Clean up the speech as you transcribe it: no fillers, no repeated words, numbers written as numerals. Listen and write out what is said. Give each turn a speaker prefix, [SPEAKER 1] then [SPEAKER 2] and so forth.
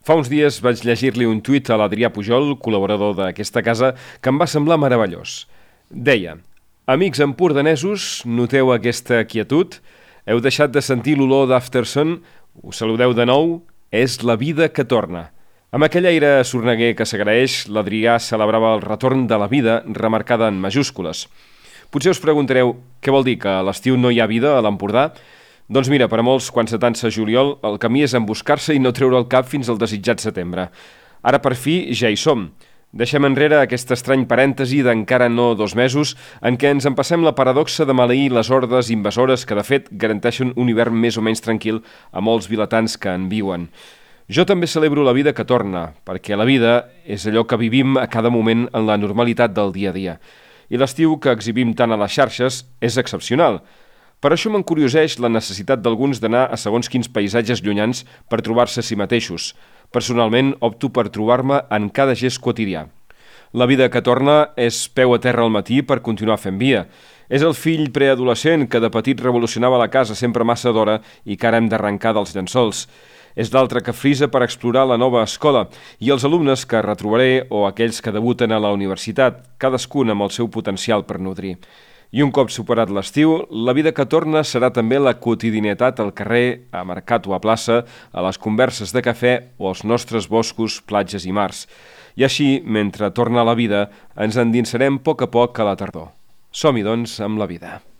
[SPEAKER 1] Fa uns dies vaig llegir-li un tuit a l'Adrià Pujol, col·laborador d'aquesta casa, que em va semblar meravellós. Deia: amics empordanesos, noteu aquesta quietud? Heu deixat de sentir l'olor d'Aftersun? Us saludeu de nou? És la vida que torna. Amb aquell aire sorneguer que s'agraeix, l'Adrià celebrava el retorn de la vida, remarcada en majúscules. Potser us preguntareu, què vol dir, que a l'estiu no hi ha vida a l'Empordà? Doncs mira, per a molts, quan s'atansa juliol, el camí és emboscar-se i no treure el cap fins al desitjat setembre. Ara, per fi, ja hi som. Deixem enrere aquest estrany parèntesi d'encara no 2 mesos en què ens empassem la paradoxa de maleir les hordes invasores que, de fet, garanteixen un hivern més o menys tranquil a molts vilatans que en viuen. Jo també celebro la vida que torna, perquè la vida és allò que vivim a cada moment en la normalitat del dia a dia. I l'estiu que exhibim tant a les xarxes és excepcional. Per això m'encurioseix la necessitat d'alguns d'anar a segons quins paisatges llunyans per trobar-se a si mateixos. Personalment, opto per trobar-me en cada gest quotidià. La vida que torna és peu a terra al matí per continuar fent via. És el fill preadolescent que de petit revolucionava la casa sempre massa d'hora i que ara hem d'arrencar dels llençols. És l'altre que frisa per explorar la nova escola i els alumnes que retrobaré o aquells que debuten a la universitat, cadascun amb el seu potencial per nodrir. I un cop superat l'estiu, la vida que torna serà també la quotidianitat al carrer, a mercat o a plaça, a les converses de cafè o als nostres boscos, platges i mars. I així, mentre torna la vida, ens endinsarem a poc a la tardor. Som-hi, doncs, amb la vida.